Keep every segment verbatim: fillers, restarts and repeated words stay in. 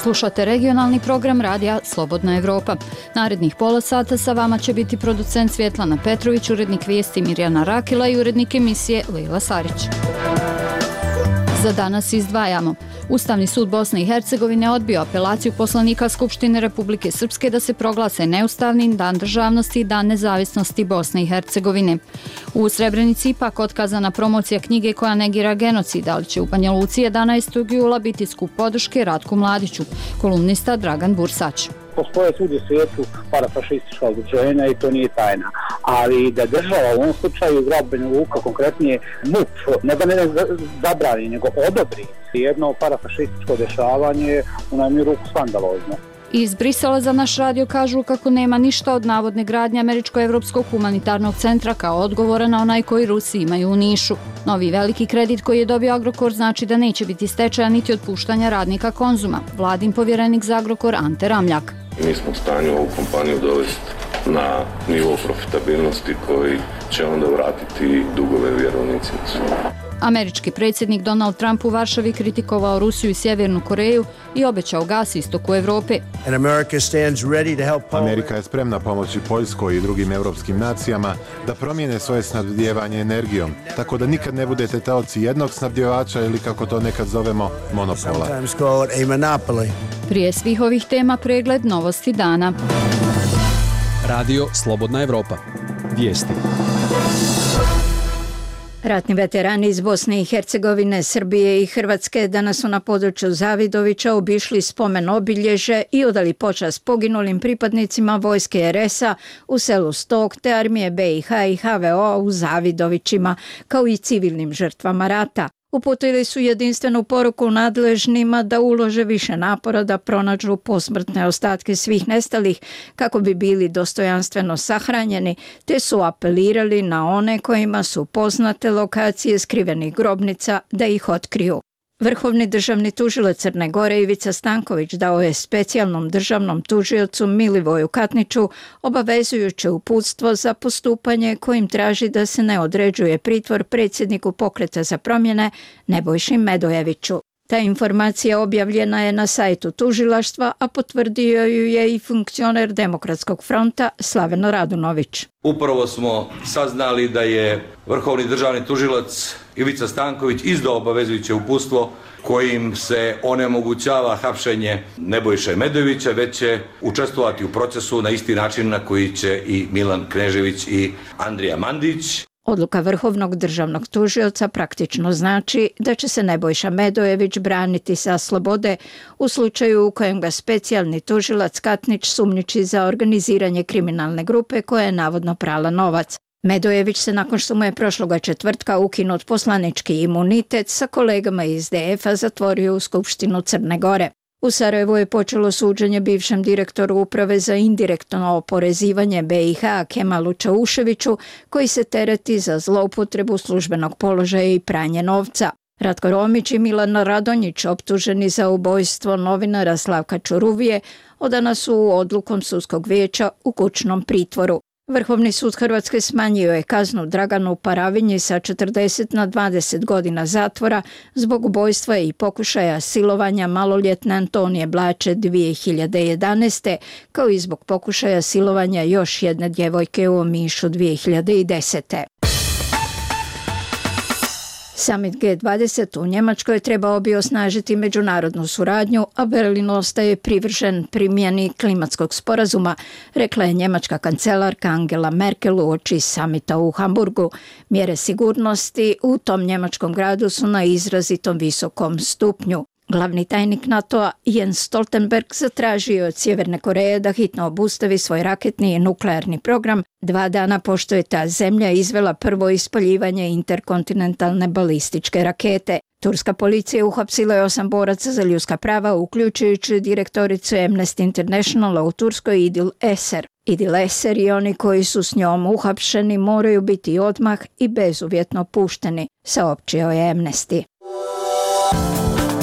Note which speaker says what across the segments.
Speaker 1: Slušate regionalni program radija Slobodna Evropa. Narednih pola sata sa vama će biti producent Svjetlana Petrović, urednik vijesti Mirjana Rakila i urednik emisije Lejla Sarić. Za danas izdvajamo. Ustavni sud Bosne i Hercegovine odbio apelaciju poslanika Skupštine Republike Srpske da se proglase neustavnim Dan državnosti i Dan nezavisnosti Bosne i Hercegovine. U Srebrenici ipak otkazana promocija knjige koja negira genocid, ali će u Banja Luci jedanaestog jula biti skup podrške Ratku Mladiću, kolumnista Dragan Bursać.
Speaker 2: Postoje svugdje u svijetu parafašistička udruženja i to nije tajna. Ali da država u ovom slučaju grad Banja Luka, konkretnije M U P, ne da ne zabrani, nego odobri jedno parafašističko dešavanje u najmanju ruku skandalozno.
Speaker 1: Iz Brisela za naš radio kažu kako nema ništa od navodne gradnje Američko-Evropskog humanitarnog centra kao odgovora na onaj koji Rusi imaju u Nišu. Novi veliki kredit koji je dobio Agrokor znači da neće biti stečaja niti otpuštanja radnika Konzuma. Vladin povjerenik za Agrokor Ante Ramljak.
Speaker 3: Mi smo u stanju ovu kompaniju dovesti na nivo profitabilnosti koji će onda vratiti dugove vjerovnicima.
Speaker 1: Američki predsjednik Donald Trump u Varšavi kritikovao Rusiju i Sjevernu Koreju i obećao gas istoku Evrope.
Speaker 4: Amerika je spremna pomoći Poljskoj i drugim evropskim nacijama da promijene svoje snabdijevanje energijom, tako da nikad ne budete taoci jednog snabdjevača ili kako to nekad zovemo monopola.
Speaker 1: Prije svih ovih tema pregled novosti dana.
Speaker 5: Radio Slobodna Evropa. Vijesti.
Speaker 6: Ratni veterani iz Bosne i Hercegovine, Srbije i Hrvatske danas su na području Zavidovića obišli spomen obilježe i odali počast poginulim pripadnicima vojske er es a u selu Stok te armije be i ha i ha ve o u Zavidovićima, kao i civilnim žrtvama rata. Uputili su jedinstvenu poruku nadležnima da ulože više napora da pronađu posmrtne ostatke svih nestalih kako bi bili dostojanstveno sahranjeni, te su apelirali na one kojima su poznate lokacije skrivenih grobnica da ih otkriju. Vrhovni državni tužilac Crne Gore Ivica Stanković dao je specijalnom državnom tužiocu Milivoju Katniću obavezujuće uputstvo za postupanje kojim traži da se ne određuje pritvor predsjedniku Pokreta za promjene Nebojši Medojeviću. Ta informacija objavljena je na sajtu tužilaštva, a potvrdio ju je i funkcioner Demokratskog fronta Slaveno Radunović.
Speaker 7: Upravo smo saznali da je Vrhovni državni tužilac Ivica Stanković izdao obavezujuće uputstvo kojim se onemogućava hapšenje Nebojše Medojevića, već će učestvovati u procesu na isti način na koji će i Milan Knežević i Andrija Mandić.
Speaker 6: Odluka Vrhovnog državnog tužioca praktično znači da će se Nebojša Medojević braniti sa slobode u slučaju u kojem ga specijalni tužilac Katnić sumnjiči za organiziranje kriminalne grupe koja je navodno prala novac. Medojević se nakon što mu je prošloga četvrtka ukinut poslanički imunitet sa kolegama iz de ef a zatvorio u Skupštinu Crne Gore. U Sarajevu je počelo suđenje bivšem direktoru uprave za indirektno oporezivanje be i ha Kemalu Čauševiću, koji se tereti za zloupotrebu službenog položaja i pranje novca. Ratko Romić i Milan Radonjić, optuženi za ubojstvo novinara Slavka Čuruvije, odana su odlukom sudskog vijeća u kućnom pritvoru. Vrhovni sud Hrvatske smanjio je kaznu Draganu Paravinji sa četrdeset na dvadeset godina zatvora zbog ubojstva i pokušaja silovanja maloljetne Antonije Blače dvije hiljade jedanaeste, kao i zbog pokušaja silovanja još jedne djevojke u Omišu dvije hiljade desete. Summit ge dvadeset u Njemačkoj trebao bi osnažiti međunarodnu suradnju, a Berlin ostaje privržen primjeni klimatskog sporazuma, rekla je njemačka kancelarka Angela Merkel uoči samita u Hamburgu. Mjere sigurnosti u tom njemačkom gradu su na izrazitom visokom stupnju. Glavni tajnik NATO-a Jens Stoltenberg zatražio od Sjeverne Koreje da hitno obustavi svoj raketni i nuklearni program, dva dana pošto je ta zemlja izvela prvo ispaljivanje interkontinentalne balističke rakete. Turska policija uhapsila je osam boraca za ljudska prava, uključujući direktoricu Amnesty Internationala u Turskoj Idil Eser. Idil Eser i oni koji su s njom uhapšeni moraju biti odmah i bezuvjetno pušteni, saopćio je Amnesty.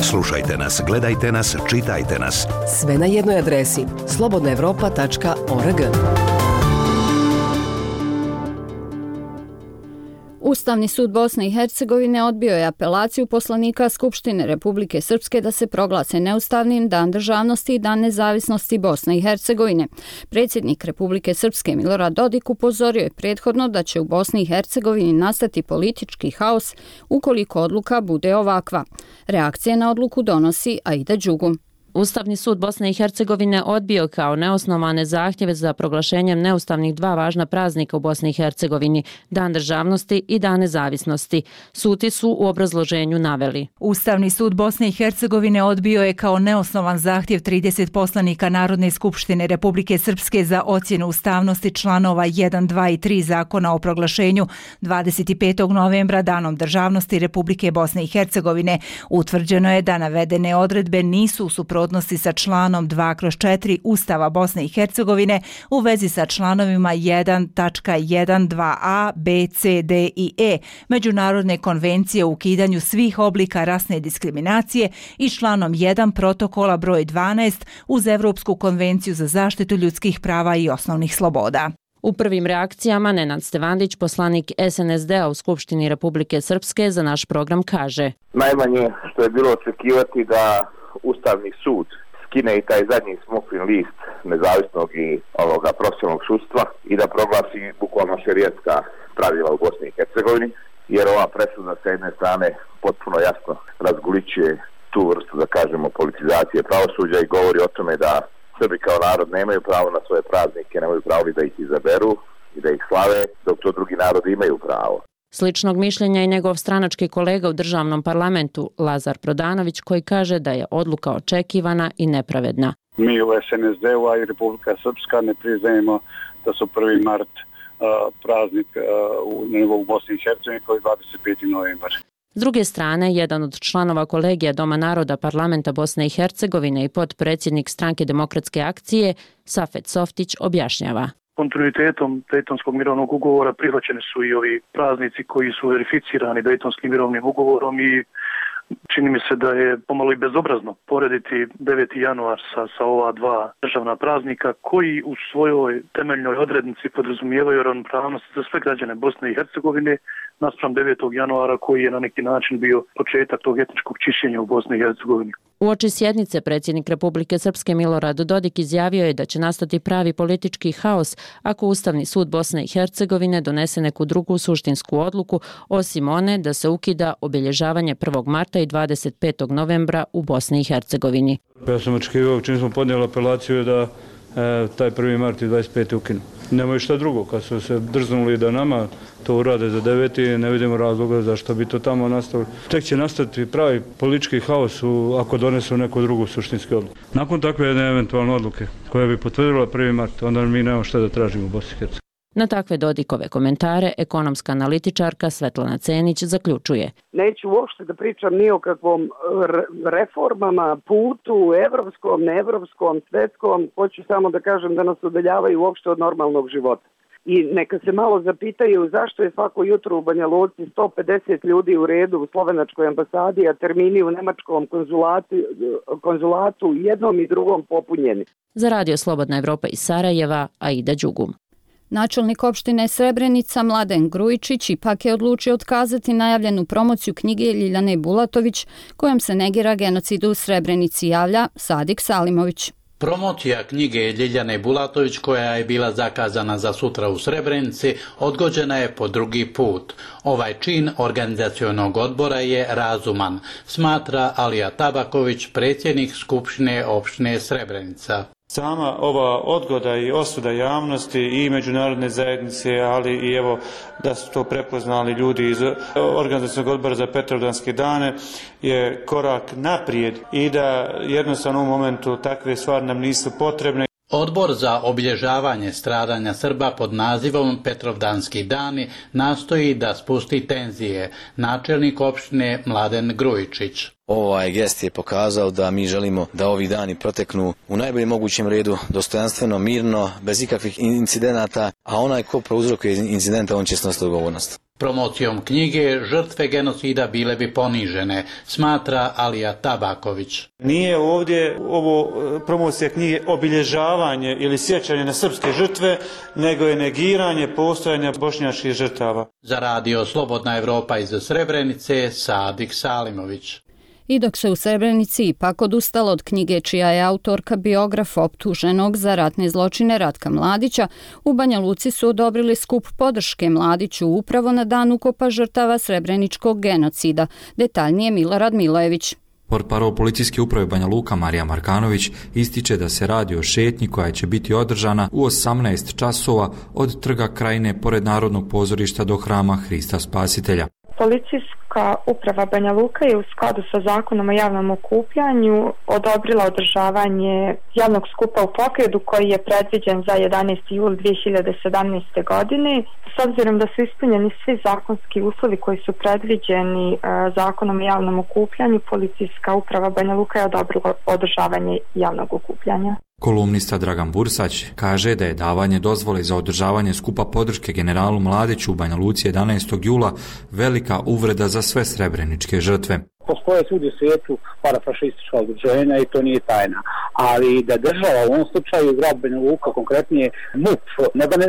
Speaker 8: Slušajte nas, gledajte nas, čitajte nas.
Speaker 9: Sve na jednoj adresi slobodna evropa tačka org.
Speaker 1: Ustavni sud Bosne i Hercegovine odbio je apelaciju poslanika Skupštine Republike Srpske da se proglase neustavnim Dan državnosti i Dan nezavisnosti Bosne i Hercegovine. Predsjednik Republike Srpske Milorad Dodik upozorio je prethodno da će u Bosni i Hercegovini nastati politički haos ukoliko odluka bude ovakva. Reakcije na odluku donosi Aida Đugum.
Speaker 10: Ustavni sud Bosne i Hercegovine odbio kao neosnovane zahtjeve za proglašenjem neustavnih dva važna praznika u Bosni i Hercegovini, Dan državnosti i Dan nezavisnosti. Suci su u obrazloženju naveli.
Speaker 11: Ustavni sud Bosne i Hercegovine odbio je kao neosnovan zahtjev trideset poslanika Narodne skupštine Republike Srpske za ocjenu ustavnosti članova jedan, dva i tri Zakona o proglašenju dvadeset petog novembra Danom državnosti Republike Bosne i Hercegovine. Utvrđeno je da navedene odredbe nisu u suprotnosti sa članom dva kroz četiri Ustava Bosne i Hercegovine u vezi sa članovima jedan tačka jedan dva a, b, c, d i e Međunarodne konvencije o ukidanju svih oblika rasne diskriminacije i članom jedan protokola broj dvanaest uz Evropsku konvenciju za zaštitu ljudskih prava i osnovnih sloboda.
Speaker 10: U prvim reakcijama Nenad Stevandić, poslanik es en es de-a u Skupštini Republike Srpske, za naš program kaže:
Speaker 12: Najmanje što je bilo očekivati da Ustavni sud skine i taj zadnji smokvin list nezavisnog i ovoga profesionalnog sudstva i da proglasi bukvalno šerijatska pravila u Bosni i Hercegovini, jer ova presuda sa jedne strane potpuno jasno razgolićuje tu vrstu, da kažemo, politizacije pravosuđa i govori o tome da Srbi kao narod nemaju pravo na svoje praznike, nemaju pravo da ih izaberu i da ih slave, dok to drugi narodi imaju pravo.
Speaker 10: Sličnog mišljenja i njegov stranački kolega u državnom parlamentu Lazar Prodanović, koji kaže da je odluka očekivana i nepravedna.
Speaker 13: Mi u es en es de-u, a i Republika Srpska ne priznajemo da su prvi mart uh, praznik uh, u nivou Bosni i Hercegovine koji je dvadeset peti novembar.
Speaker 10: S druge strane, jedan od članova kolegija Doma naroda parlamenta Bosne i Hercegovine i potpredsjednik Stranke demokratske akcije Safet Softić objašnjava.
Speaker 14: Kontinuitetom Dejtonskog mirovnog ugovora prihvaćeni su i ovi praznici koji su verificirani Dejtonskim mirovnim ugovorom i čini mi se da je pomalo i bezobrazno porediti deveti januar sa, sa ova dva državna praznika koji u svojoj temeljnoj odrednici podrazumijevaju ravnopravnost za sve građane Bosne i Hercegovine naspram devetog januara koji je na neki način bio početak tog etničkog čišćenja u Bosni i Hercegovini.
Speaker 10: Uoči sjednice predsjednik Republike Srpske Milorad Dodik izjavio je da će nastati pravi politički haos ako Ustavni sud Bosne i Hercegovine donese neku drugu suštinsku odluku, osim one da se ukida obilježavanje prvog marta i dvadeset petog novembra u Bosni i Hercegovini.
Speaker 15: Ja sam očekivao, čim smo podnijeli apelaciju, da e, taj prvi mart i dvadeset peti ukinu. Nemaju šta drugo, kad su se drznuli da nama to urade za deveti, ne vidimo razloga zašto bi to tamo nastavili. Tek će nastati pravi politički haos u, ako donesu neku drugu suštinsku odluku. Nakon takve jedne eventualne odluke koja bi potvrdila prvi mart, onda mi nemamo šta da tražimo u Bosni i Hercegovini.
Speaker 10: Na takve Dodikove komentare ekonomska analitičarka Svetlana Cenić zaključuje.
Speaker 16: Neću uopšte da pričam ni o kakvom reformama, putu, evropskom, neevropskom, svetskom. Hoću samo da kažem da nas udaljavaju uopšte od normalnog života. I neka se malo zapitaju zašto je svako jutro u Banja Luci sto pedeset ljudi u redu u slovenačkoj ambasadi, a termini u nemačkom konzulatu, konzulatu jednom i drugom popunjeni.
Speaker 10: Za Radio Slobodna Evropa iz Sarajeva, Aida Đugum.
Speaker 1: Načelnik opštine Srebrenica Mladen Grujičić ipak je odlučio otkazati najavljenu promociju knjige Ljiljane Bulatović kojom se negira genocid u Srebrenici, javlja Sadik Salimović.
Speaker 17: Promocija knjige Ljiljane Bulatović, koja je bila zakazana za sutra u Srebrenici, odgođena je po drugi put. Ovaj čin organizacionog odbora je razuman, smatra Alija Tabaković, predsjednik Skupštine opštine Srebrenica.
Speaker 18: Sama ova odgoda i osuda javnosti i međunarodne zajednice, ali i evo da su to prepoznali ljudi iz organizacionog odbora za Petrovdanske dane, je korak naprijed i da jednostavno u momentu takve stvari nam nisu potrebne.
Speaker 17: Odbor za obilježavanje stradanja Srba pod nazivom Petrovdanski dani nastoji da spusti tenzije, načelnik opštine Mladen Grujičić.
Speaker 19: Ovaj gest je pokazao da mi želimo da ovi dani proteknu u najboljem mogućem redu, dostojanstveno, mirno, bez ikakvih incidenata, a onaj ko prouzrokuje incidenta, on će snositi odgovornost.
Speaker 17: Promocijom knjige žrtve genocida bile bi ponižene, smatra Alija Tabaković.
Speaker 18: Nije ovdje ovo promocija knjige obilježavanje ili sjećanje na srpske žrtve, nego je negiranje postojanja bošnjačkih žrtava.
Speaker 17: Za radio Slobodna Evropa iz Srebrenice, Sadik Salimović.
Speaker 1: I dok se u Srebrenici ipak odustalo od knjige čija je autorka biograf optuženog za ratne zločine Ratka Mladića, u Banja Luci su odobrili skup podrške Mladiću upravo na dan ukopa žrtava srebreničkog genocida. Detaljnije Milorad Milojević.
Speaker 20: Portparol policijske uprave Banja Luka Marija Markanović ističe da se radi o šetnji koja će biti održana u osamnaest časova od Trga Krajine pored Narodnog pozorišta do Hrama Hrista Spasitelja.
Speaker 21: Policijska uprava Banja Luka je u skladu sa zakonom o javnom okupljanju odobrila održavanje javnog skupa u Pokredu koji je predviđen za jedanaesti jul dvije hiljade sedamnaeste. godine. S obzirom da su ispunjeni svi zakonski uslovi koji su predviđeni e, zakonom o javnom okupljanju, Policijska uprava Banja Luka je odobrila održavanje javnog okupljanja.
Speaker 20: Kolumnista Dragan Bursać kaže da je davanje dozvole za održavanje skupa podrške generalu Mladiću u Banja Luci jedanaestog jula velika uvreda za sve srebreničke žrtve.
Speaker 2: Postoje svugdje u svijetu parafašistička udruženja i to nije tajna, ali da država u ovom slučaju grad Banja Luka, konkretnije M U P, ne da ne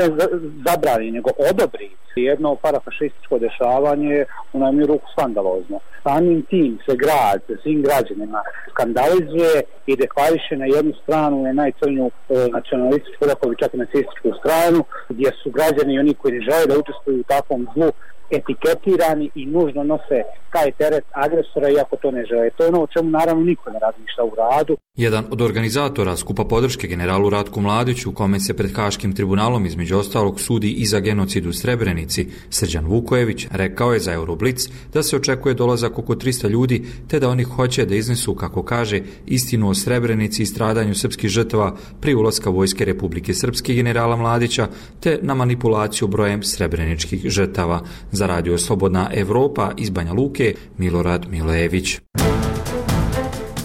Speaker 2: zabrani, nego odobri jedno parafašističko dešavanje u najmanju ruku skandalozno. Samim tim se grad svim građanima skandalizuje i deklariše na jednu stranu je najcrnju e, nacionalističku, rekao bi čak i nacističku stranu, gdje su građani i oni koji ne žele da učestvuju u takvom zlu etiketirani i nužno nose taj teret agresora iako to ne žele. To je ono o čemu naravno niko ne razmišlja u radu.
Speaker 20: Jedan od organizatora skupa podrške generalu Ratku Mladiću, u kome se pred Haškim tribunalom između ostalog sudi i za genocid u Srebrenici, Srđan Vukojević, rekao je za Euroblic da se očekuje dolazak oko trista ljudi, te da oni hoće da iznesu, kako kaže, istinu o Srebrenici i stradanju srpskih žrtava pri ulaska vojske Republike Srpske generala Mladića, te na manipulaciju brojem srebreničkih žrtava. Za radio Slobodna Evropa iz Banja Luke, Milorad Milojević.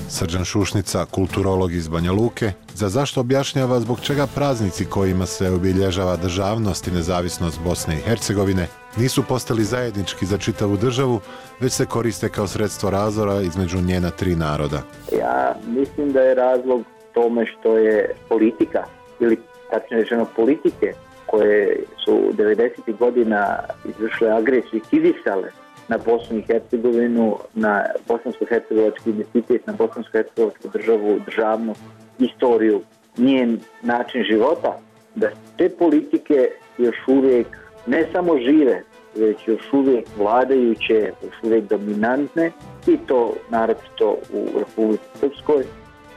Speaker 4: Srđan Šušnica, kulturolog iz Banja Luke, za zašto objašnjava zbog čega praznici kojima se obilježava državnost i nezavisnost Bosne i Hercegovine nisu postali zajednički za čitavu državu, već se koriste kao sredstvo razdora između njena tri naroda.
Speaker 22: Ja mislim da je razlog tome što je politika, ili tačno rečeno politike, koje su devedesetih godina izvršile agresiju i kidisale na Bosnu i Hercegovinu, na bosansko-hercegovački identitet, na bosansko-hercegovačku državu, državnu istoriju, njen način života, da te politike još uvijek ne samo žive, već još uvijek vladajuće, još uvijek dominantne, i to naročito u Republici Srpskoj.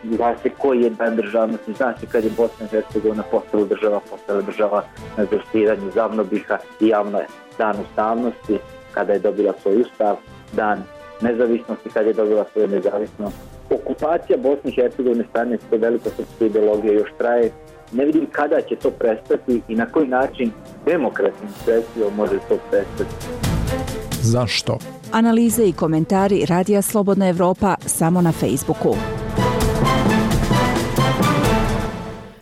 Speaker 22: Zna se koji je dan državnosti, zna se kad je Bosna i Hercegovina postala država, postala država na zaštiranju Zavnobiha i javno je dan ustavnosti, kada je dobila svoj ustav, dan nezavisnosti, kada je dobila svoju nezavisnost. Okupacija Bosne i Hercegovine strane to veliko srpske ideologije još traje. Ne vidim kada će to prestati i na koji način demokratskim sredstvima može to prestati.
Speaker 11: Zašto? Analize i komentari Radija Slobodna Evropa samo na Facebooku.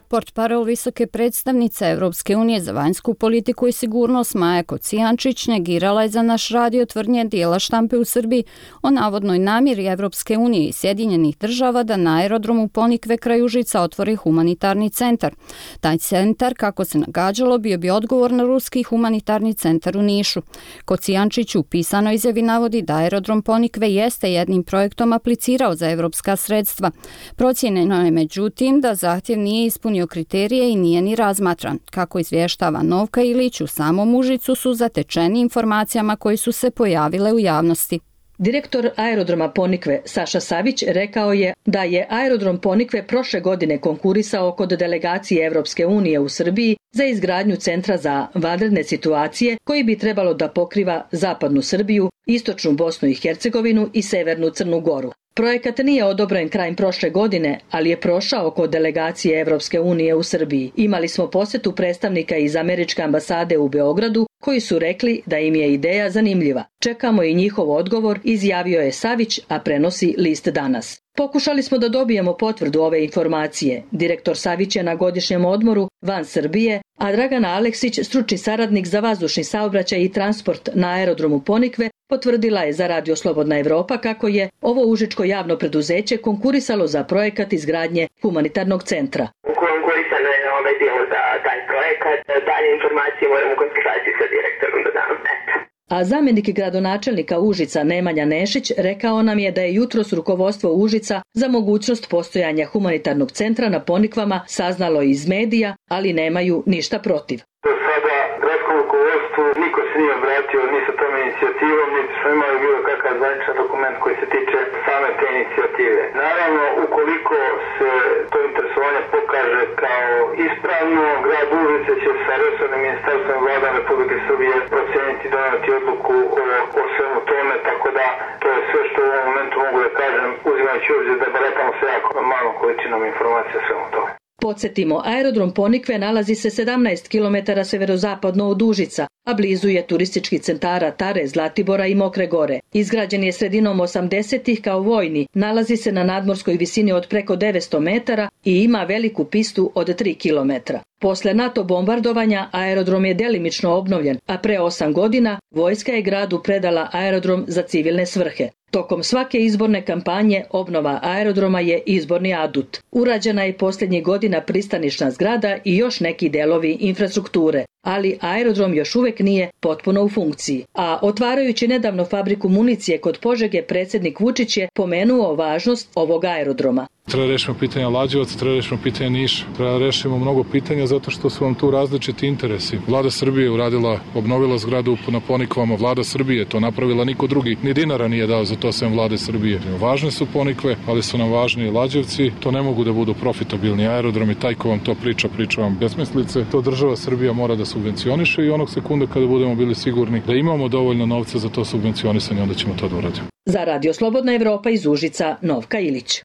Speaker 1: Portparol visoke predstavnice Evropske unije za vanjsku politiku i sigurnost Maja Kocijančić negirala je za naš radio tvrdnje dijela štampe u Srbiji o navodnoj namjeri Evropske unije i Sjedinjenih država da na aerodromu Ponikve kraj Užica otvori humanitarni centar. Taj centar, kako se nagađalo, bio bi odgovor na ruski humanitarni centar u Nišu. Kocijančić u pisanoj izjavi navodi da aerodrom Ponikve jeste jednim projektom aplicirao za evropska sredstva. Procijenjeno je međutim da zahtjev nije ispunio kriterije i nije ni razmatran. Kako izvještava Novka Ilić, u samom Užicu su zatečeni informacijama koji su se pojavile u javnosti.
Speaker 23: Direktor aerodroma Ponikve Saša Savić rekao je da je aerodrom Ponikve prošle godine konkurisao kod delegacije Evropske unije u Srbiji za izgradnju centra za vanredne situacije koji bi trebalo da pokriva zapadnu Srbiju, istočnu Bosnu i Hercegovinu i severnu Crnu Goru. Projekat nije odobren krajem prošle godine, ali je prošao kod delegacije Evropske unije u Srbiji. Imali smo posjetu predstavnika iz Američke ambasade u Beogradu koji su rekli da im je ideja zanimljiva. Čekamo i njihov odgovor, izjavio je Savić, a prenosi List danas. Pokušali smo da dobijemo potvrdu ove informacije. Direktor Savić je na godišnjem odmoru van Srbije, a Dragana Aleksić, stručni saradnik za vazdušni saobraćaj i transport na aerodromu Ponikve, potvrdila je za Radio Slobodna Evropa kako je ovo užičko javno preduzeće konkurisalo za projekat izgradnje humanitarnog centra.
Speaker 3: Konkurisano je ovaj dio za taj projekat. Dalje informacije moramo u konsultaciji sa direktorom da dam.
Speaker 23: A zamjenik gradonačelnika Užica Nemanja Nešić rekao nam je da je jutros rukovodstvo Užica za mogućnost postojanja humanitarnog centra na Ponikvama saznalo iz medija, ali nemaju ništa protiv.
Speaker 5: Do sada gradskom rukovodstvu niko se nije obratio ni sa tom inicijativom, niti smo imali bilo kakav zvaničan dokument koji se tiče same te inicijative. Naravno, ukoliko se to interesovanje pokaže kao ispravno, grad Užice će sa resornim ministarstvom i vladom Republike Srbije proceniti i donijeti odluku o, o svemu tome, tako da to je sve što u ovom momentu mogu da kažem, uzimajući obzir da baratamo se jako malom količinom informacija o svemu tome.
Speaker 23: Podsjetimo, aerodrom Ponikve nalazi se sedamnaest kilometara severozapadno od Užica, a blizu je turističkih centara Tare, Zlatibora i Mokre Gore. Izgrađen je sredinom osamdesetih kao vojni, nalazi se na nadmorskoj visini od preko devetsto metara i ima veliku pistu od tri kilometra. Posle NATO bombardovanja aerodrom je delimično obnovljen, a pre osam godina vojska je gradu predala aerodrom za civilne svrhe. Tokom svake izborne kampanje obnova aerodroma je izborni adut. Urađena je posljednjih godina pristanišna zgrada i još neki delovi infrastrukture, ali aerodrom još uvek nije potpuno u funkciji. A otvarajući nedavno fabriku municije kod Požege, predsjednik Vučić je pomenuo važnost ovog aerodroma.
Speaker 7: Treba rešimo pitanja Lađevaca, treba rešimo pitanja Niša, treba rešimo mnogo pitanja zato što su vam tu različiti interesi. Vlada Srbije uradila, obnovila zgradu na Ponikvama, Vlada Srbije to napravila, niko drugi ni dinara nije dao za to sem Vlade Srbije. Važne su Ponikve, ali su nam važni i Lađevci, to ne mogu da budu profitabilni aerodromi, taj ko vam to priča, priča vam besmislice. To država Srbija mora da subvencioniše i onog sekunda kada budemo bili sigurni da imamo dovoljno novca za to subvencionisanje, onda ćemo to da uradimo.
Speaker 23: Za Radio Slobodna Evropa iz Užica, Novka Ilić.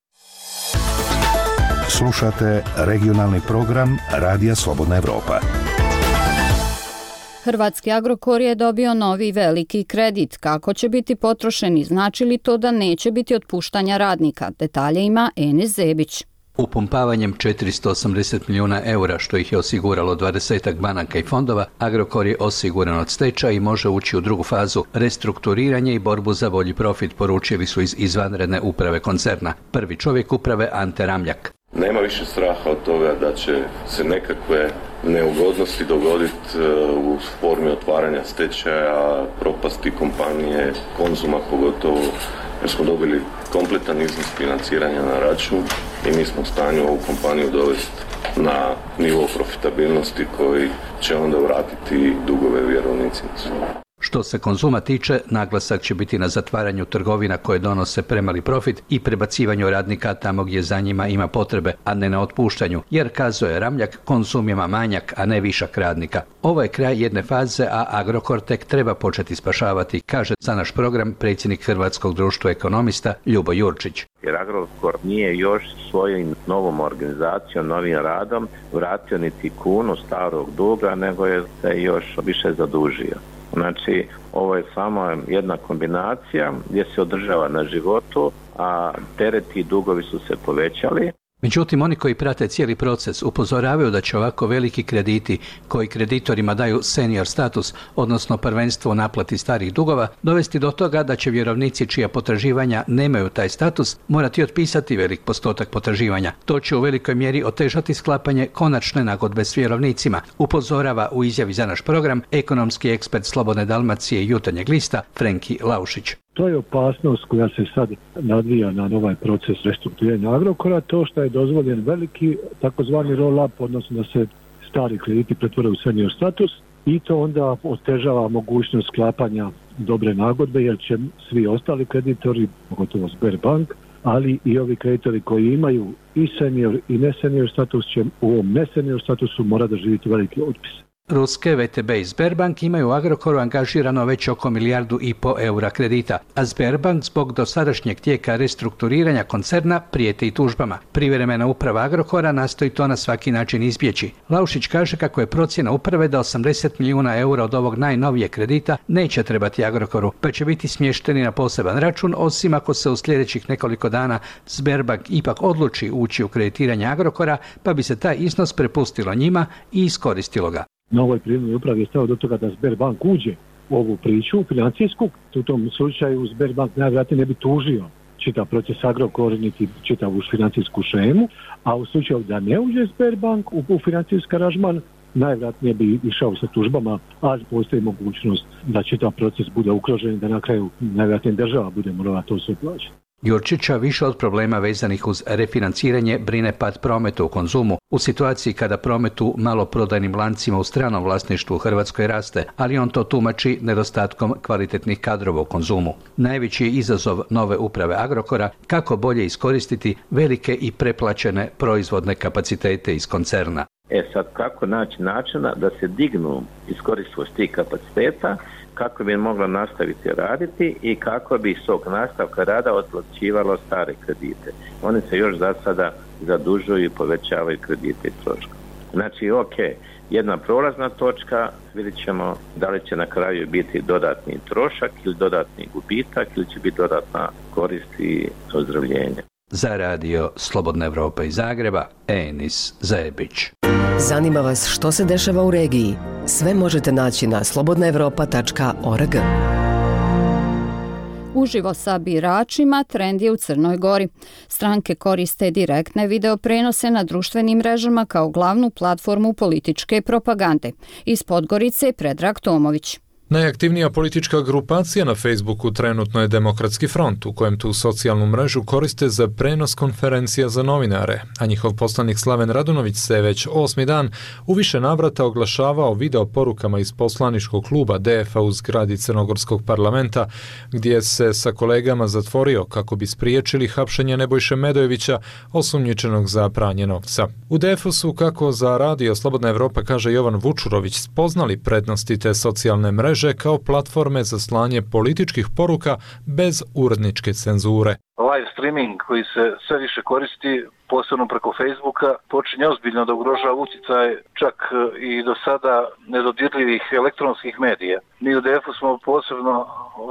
Speaker 8: Slušate regionalni program Radija Slobodna Evropa.
Speaker 1: Hrvatski Agrokor je dobio novi veliki kredit. Kako će biti potrošen i znači li to da neće biti otpuštanja radnika? Detalje ima Enes Zebić.
Speaker 24: Upumpavanjem četiristo osamdeset milijuna eura, što ih je osiguralo dvadesetak banaka i fondova, Agrokor je osiguran od stečaja i može ući u drugu fazu restrukturiranje i borbu za bolji profit, poručili su iz izvanredne uprave koncerna. Prvi čovjek uprave Ante Ramljak.
Speaker 25: Nema više straha od toga da će se nekakve neugodnosti dogoditi u formi otvaranja stečaja, propasti kompanije, Konzuma pogotovo, jer smo dobili kompletan iznos financiranja na račun i mi smo u stanju ovu kompaniju dovesti na nivo profitabilnosti koji će onda vratiti dugove vjerovnicima.
Speaker 24: Što se Konzuma tiče, naglasak će biti na zatvaranju trgovina koje donose premali profit i prebacivanju radnika tamo gdje za njima ima potrebe, a ne na otpuštanju, jer, kazuje Ramljak, Konzum ima manjak, a ne višak radnika. Ovo je kraj jedne faze, a Agrokor tek treba početi spašavati, kaže za naš program predsjednik Hrvatskog društva ekonomista Ljubo Jurčić.
Speaker 26: Jer Agrokor nije još svojim novom organizacijom, novim radom vratio niti kunu starog duga, nego je se još više zadužio. Znači, ovo je samo jedna kombinacija gdje se održava na životu, a tereti i dugovi su se povećali.
Speaker 24: Međutim, oni koji prate cijeli proces upozoravaju da će ovako veliki krediti koji kreditorima daju senior status, odnosno prvenstvo u naplati starih dugova, dovesti do toga da će vjerovnici čija potraživanja nemaju taj status morati otpisati velik postotak potraživanja. To će u velikoj mjeri otežati sklapanje konačne nagodbe s vjerovnicima, upozorava u izjavi za naš program ekonomski ekspert Slobodne Dalmacije i Jutarnjeg lista Frenki Laušić.
Speaker 27: To je opasnost koja se sad nadvija na ovaj proces restrukturiranja Agrokora, to što je dozvoljen veliki takozvani roll-up, odnosno da se stari krediti pretvore u senior status i to onda otežava mogućnost sklapanja dobre nagodbe jer će svi ostali kreditori, pogotovo Sberbank, ali i ovi kreditori koji imaju i senior i ne senior status će u ovom ne senior statusu mora da živiti veliki otpis.
Speaker 24: Ruske V T B i Sberbank imaju u Agrokoru angažirano već oko milijardu i po eura kredita, a Sberbank zbog dosadašnjeg tijeka restrukturiranja koncerna prijeti i tužbama. Privremena uprava Agrokora nastoji to na svaki način izbjeći. Laušić kaže kako je procjena uprave da osamdeset milijuna eura od ovog najnovijeg kredita neće trebati Agrokoru, pa će biti smješteni na poseban račun, osim ako se u sljedećih nekoliko dana Sberbank ipak odluči ući u kreditiranje Agrokora, pa bi se taj iznos prepustilo njima i iskoristilo ga.
Speaker 27: Na ovoj privremnoj upravi je stao do toga da Sberbank uđe u ovu priču financijsku. U tom slučaju Sberbank najvjerojatnije ne bi tužio čitav proces Agrokor niti čitavu financijsku šemu, a u slučaju da ne uđe Sberbank u, u financijski aranžman, najvjerojatnije bi išao sa tužbama, a postoji mogućnost da čitav proces bude ugrožen i da na kraju najvjerojatnije država bude morala to sve plaćati.
Speaker 24: Jurčića više od problema vezanih uz refinanciranje brine pad prometa u Konzumu u situaciji kada promet u maloprodajnim lancima u stranom vlasništvu u Hrvatskoj raste, ali on to tumači nedostatkom kvalitetnih kadrova u Konzumu. Najveći je izazov nove uprave Agrokora kako bolje iskoristiti velike i preplaćene proizvodne kapacitete iz koncerna.
Speaker 26: E sad, kako naći načina da se dignu iskoristivost tih kapaciteta, kako bi moglo nastaviti raditi i kako bi iz tog nastavka rada otplaćivalo stare kredite. Oni se još za sada zadužuju i povećavaju kredite i troška. Znači, ok, jedna prolazna točka, vidjet ćemo da li će na kraju biti dodatni trošak ili dodatni gubitak ili će biti dodatna korist i ozdravljenje.
Speaker 24: Za radio Slobodna Evropa iz Zagreba, Enis Zajebić.
Speaker 6: Zanima vas što se dešava u regiji? Sve možete naći na slobodna evropa tačka org.
Speaker 1: Uživo sa biračima trend je u Crnoj Gori. Stranke koriste direktne video prenose na društvenim mrežama kao glavnu platformu političke propagande. Iz Podgorice Predrag Tomović.
Speaker 9: Najaktivnija politička grupacija na Facebooku trenutno je Demokratski front, u kojem tu socijalnu mrežu koriste za prenos konferencija za novinare, a njihov poslanik Slaven Radunović se već osmi dan u više navrata oglašavao video porukama iz poslaničkog kluba D F A u zgradi Crnogorskog parlamenta, gdje se sa kolegama zatvorio kako bi spriječili hapšenje Nebojše Medojevića, osumnjičenog za pranje novca. U D F U su, kako za radio Slobodna Evropa kaže Jovan Vučurović, spoznali prednosti te socijalne mreže kao platforme za slanje političkih poruka bez uredničke cenzure.
Speaker 12: Live streaming koji se sve više koristi, posebno preko Facebooka, počinje ozbiljno da ugrožava utjecaj čak i do sada nedodirljivih elektronskih medija. Mi u D F U smo posebno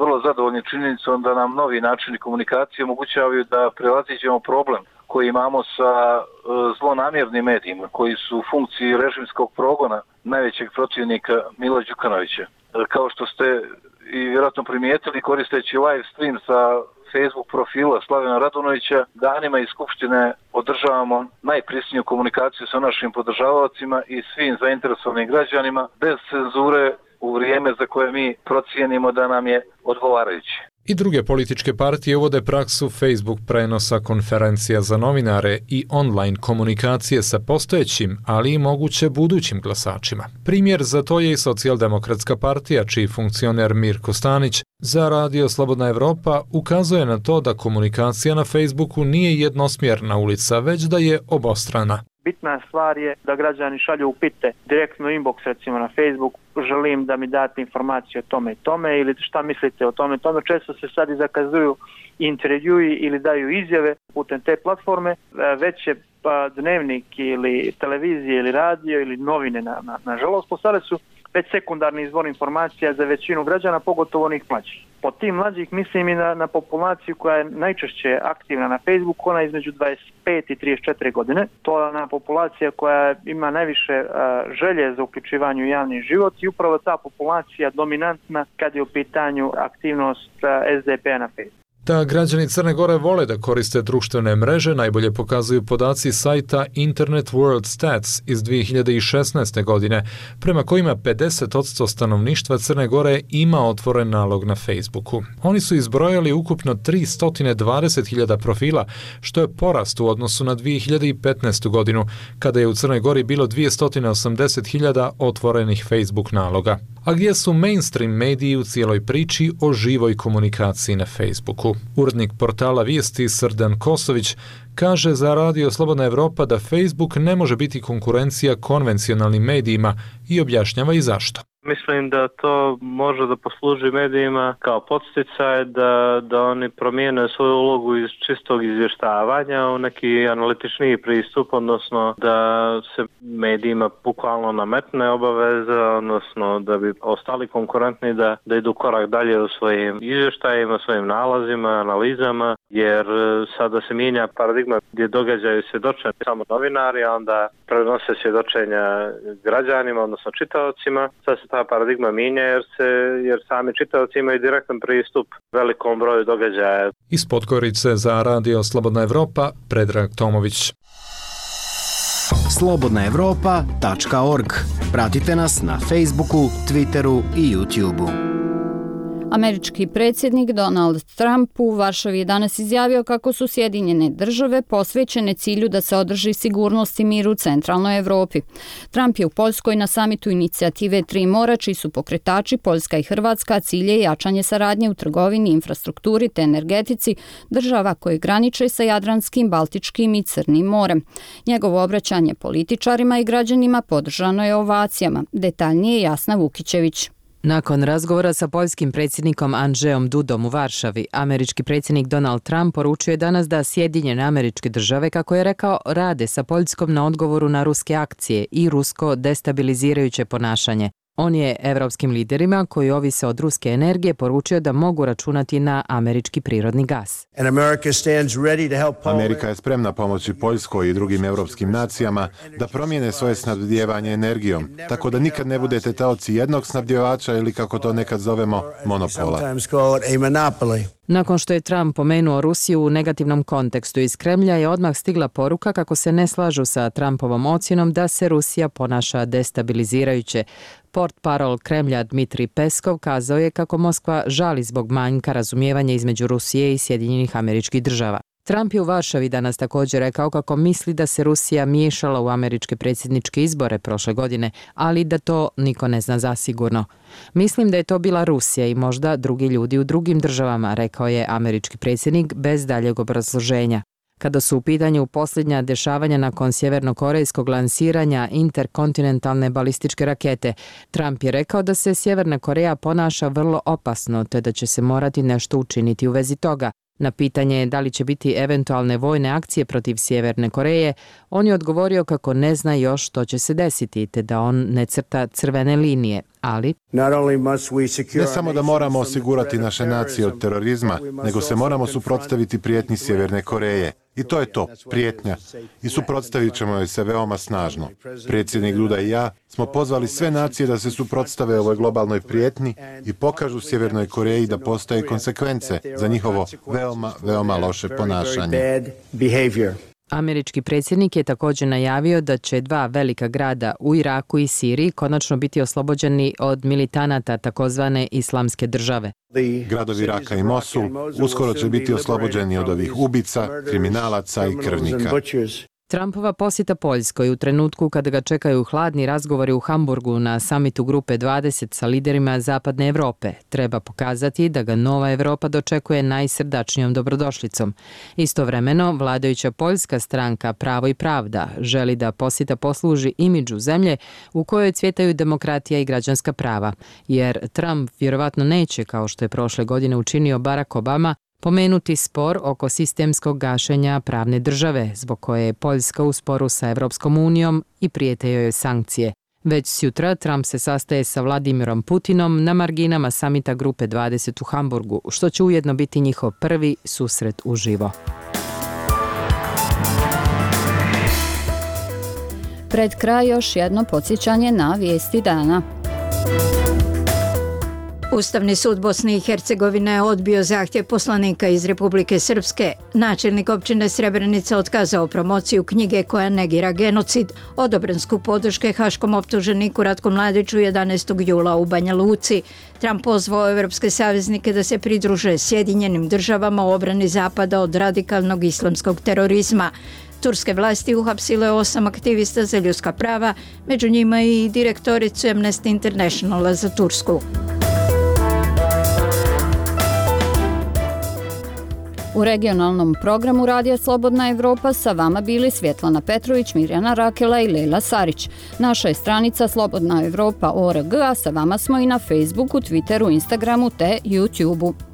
Speaker 12: vrlo zadovoljni činjenicom da nam novi načini komunikacije omogućavaju da prevaziđemo problem koji imamo sa zlonamjernim medijima, koji su u funkciji režimskog progona najvećeg protivnika Mila Đukanovića. Kao što ste i vjerojatno primijetili, koristeći live stream sa Facebook profila Slavena Radunovića, danima iz Skupštine održavamo najprisniju komunikaciju sa našim podržavaocima i svim zainteresovanim građanima bez cenzure u vrijeme za koje mi procijenimo da nam je odgovarajuće.
Speaker 9: I druge političke partije uvode praksu Facebook prenosa konferencija za novinare i online komunikacije sa postojećim, ali i moguće budućim glasačima. Primjer za to je i Socijaldemokratska partija, čiji funkcioner Mirko Stanić za radio Slobodna Evropa ukazuje na to da komunikacija na Facebooku nije jednosmjerna ulica, već da je obostrana.
Speaker 13: Bitna stvar je da građani šalju upite direktno inbox recimo na Facebook, želim da mi date informacije o tome i tome ili šta mislite o tome i tome. Često se sad i zakazuju intervjui ili daju izjave putem te platforme. Već je pa dnevnik ili televizije ili radio ili novine na, na, nažalost postale su već sekundarni izvor informacija za većinu građana, pogotovo onih mlađih. Po tim mlađih mislim i na, na populaciju koja je najčešće aktivna na Facebooku, ona između dvadeset pet i trideset četiri godine. To je ona populacija koja ima najviše a, želje za uključivanje u javni život i upravo ta populacija dominantna kad je u pitanju aktivnost a, S D P-a na Facebooku.
Speaker 9: Da građani Crne Gore vole da koriste društvene mreže najbolje pokazuju podaci sajta Internet World Stats iz dvije hiljade šesnaeste. godine, prema kojima pedeset posto stanovništva Crne Gore ima otvoren nalog na Facebooku. Oni su izbrojali ukupno tristo dvadeset hiljada profila, što je porast u odnosu na dvije hiljade petnaestu. godinu, kada je u Crnoj Gori bilo dvjesto osamdeset hiljada otvorenih Facebook naloga. A gdje su mainstream mediji u cijeloj priči o živoj komunikaciji na Facebooku? Urednik portala Vijesti Srdan Kosović kaže za Radio Slobodna Evropa da Facebook ne može biti konkurencija konvencionalnim medijima i objašnjava i zašto.
Speaker 10: Mislim da to može da posluži medijima kao podsticaj da, da oni promijene svoju ulogu iz čistog izvještavanja u neki analitičniji pristup, odnosno da se medijima bukvalno nametne obaveza, odnosno da bi ostali konkurentni da, da idu korak dalje u svojim izvještajima, svojim nalazima, analizama, jer sada se mijenja paradigma gdje događaju svjedočenja samo novinari, a onda prenose svjedočenja građanima, odnosno čitaocima. Sad se ta paradigma mijenja jer, se, jer sami čitaoci imaju direktan pristup velikom broju događaja.
Speaker 9: Iz Podgorice za Radio Slobodna Evropa, Predrag Tomović.
Speaker 14: slobodna evropa tačka org. Pratite nas na Facebooku, Twitteru i YouTubeu.
Speaker 1: Američki predsjednik Donald Trump u Varšavi je danas izjavio kako su Sjedinjene države posvećene cilju da se održi sigurnost i mir u centralnoj Evropi. Trump je u Poljskoj na samitu inicijative Tri mora, čiji su pokretači Poljska i Hrvatska, cilj je jačanje saradnje u trgovini, infrastrukturi te energetici država koje graniče sa Jadranskim, Baltičkim i Crnim morem. Njegovo obraćanje političarima i građanima podržano je ovacijama. Detaljnije Jasna Vukićević.
Speaker 15: Nakon razgovora sa poljskim predsjednikom Andrzejom Dudom u Varšavi, američki predsjednik Donald Trump poručio je danas da Sjedinjene Američke Države, kako je rekao, rade sa Poljskom na odgovoru na ruske akcije i rusko destabilizirajuće ponašanje. On je evropskim liderima koji ovise od ruske energije poručio da mogu računati na američki prirodni gas.
Speaker 4: Amerika je spremna pomoći Poljskoj i drugim evropskim nacijama da promijene svoje snabdijevanje energijom, tako da nikad ne budete taoci jednog snabdjevača ili, kako to nekad zovemo, monopola.
Speaker 15: Nakon što je Trump pomenuo Rusiju u negativnom kontekstu iz Kremlja, je odmah stigla poruka kako se ne slažu sa Trumpovom ocjenom da se Rusija ponaša destabilizirajuće. Portparol Kremlja Dmitrij Peskov kazao je kako Moskva žali zbog manjka razumijevanja između Rusije i Sjedinjenih Američkih Država. Trump je u Varšavi danas također rekao kako misli da se Rusija miješala u američke predsjedničke izbore prošle godine, ali da to niko ne zna zasigurno. Mislim da je to bila Rusija i možda drugi ljudi u drugim državama, rekao je američki predsjednik bez daljeg obrazloženja. Kada su u pitanju posljednja dešavanja nakon sjevernokorejskog lansiranja interkontinentalne balističke rakete, Trump je rekao da se Sjeverna Koreja ponaša vrlo opasno, te da će se morati nešto učiniti u vezi toga. Na pitanje da li će biti eventualne vojne akcije protiv Sjeverne Koreje, on je odgovorio kako ne zna još što će se desiti, te da on ne crta crvene linije, ali...
Speaker 4: Ne samo da moramo osigurati naše nacije od terorizma, nego se moramo suprotstaviti prijetnji Sjeverne Koreje. I to je to, prijetnja. I suprotstavit ćemo joj se veoma snažno. Predsjednik Duda i ja smo pozvali sve nacije da se suprotstave ovoj globalnoj prijetnji i pokažu Sjevernoj Koreji da postoje konsekvence za njihovo veoma, veoma loše ponašanje.
Speaker 15: Američki predsjednik je također najavio da će dva velika grada u Iraku i Siriji konačno biti oslobođeni od militanata takozvane Islamske države.
Speaker 4: Gradovi Iraka i Mosul uskoro će biti oslobođeni od ovih ubica, kriminalaca i krvnika.
Speaker 15: Trumpova posjeta Poljskoj u trenutku kada ga čekaju hladni razgovori u Hamburgu na samitu Grupe dvadeset sa liderima Zapadne Evrope treba pokazati da ga nova Evropa dočekuje najsrdačnijom dobrodošlicom. Istovremeno, vladajuća poljska stranka Pravo i pravda želi da posjeta posluži imidžu zemlje u kojoj cvjetaju demokratija i građanska prava, jer Trump vjerovatno neće, kao što je prošle godine učinio Barack Obama, pomenuti spor oko sistemskog gašenja pravne države, zbog koje je Poljska u sporu sa Evropskom unijom i prijete joj sankcije. Već sutra Trump se sastaje sa Vladimirom Putinom na marginama samita Grupe dvadeset u Hamburgu, što će ujedno biti njihov prvi susret uživo.
Speaker 1: Pred kraj još jedno podsjećanje na vijesti dana.
Speaker 16: Ustavni sud Bosne i Hercegovine je odbio zahtjev poslanika iz Republike Srpske. Načelnik općine Srebrenica otkazao promociju knjige koja negira genocid. Odobren skup podrške haškom optuženiku Ratku Mladiću jedanaestog jula u Banja Luci. Trump pozvao evropske saveznike da se pridruže Sjedinjenim državama u obrani Zapada od radikalnog islamskog terorizma. Turske vlasti uhapsile osam aktivista za ljudska prava, među njima i direktoricu Amnesty Internationala za Tursku.
Speaker 1: U regionalnom programu Radija Slobodna Evropa sa vama bili Svjetlana Petrović, Mirjana Rakela i Lejla Sarić. Naša je stranica Slobodna Evropa O R G, a sa vama smo i na Facebooku, Twitteru, Instagramu te YouTubeu.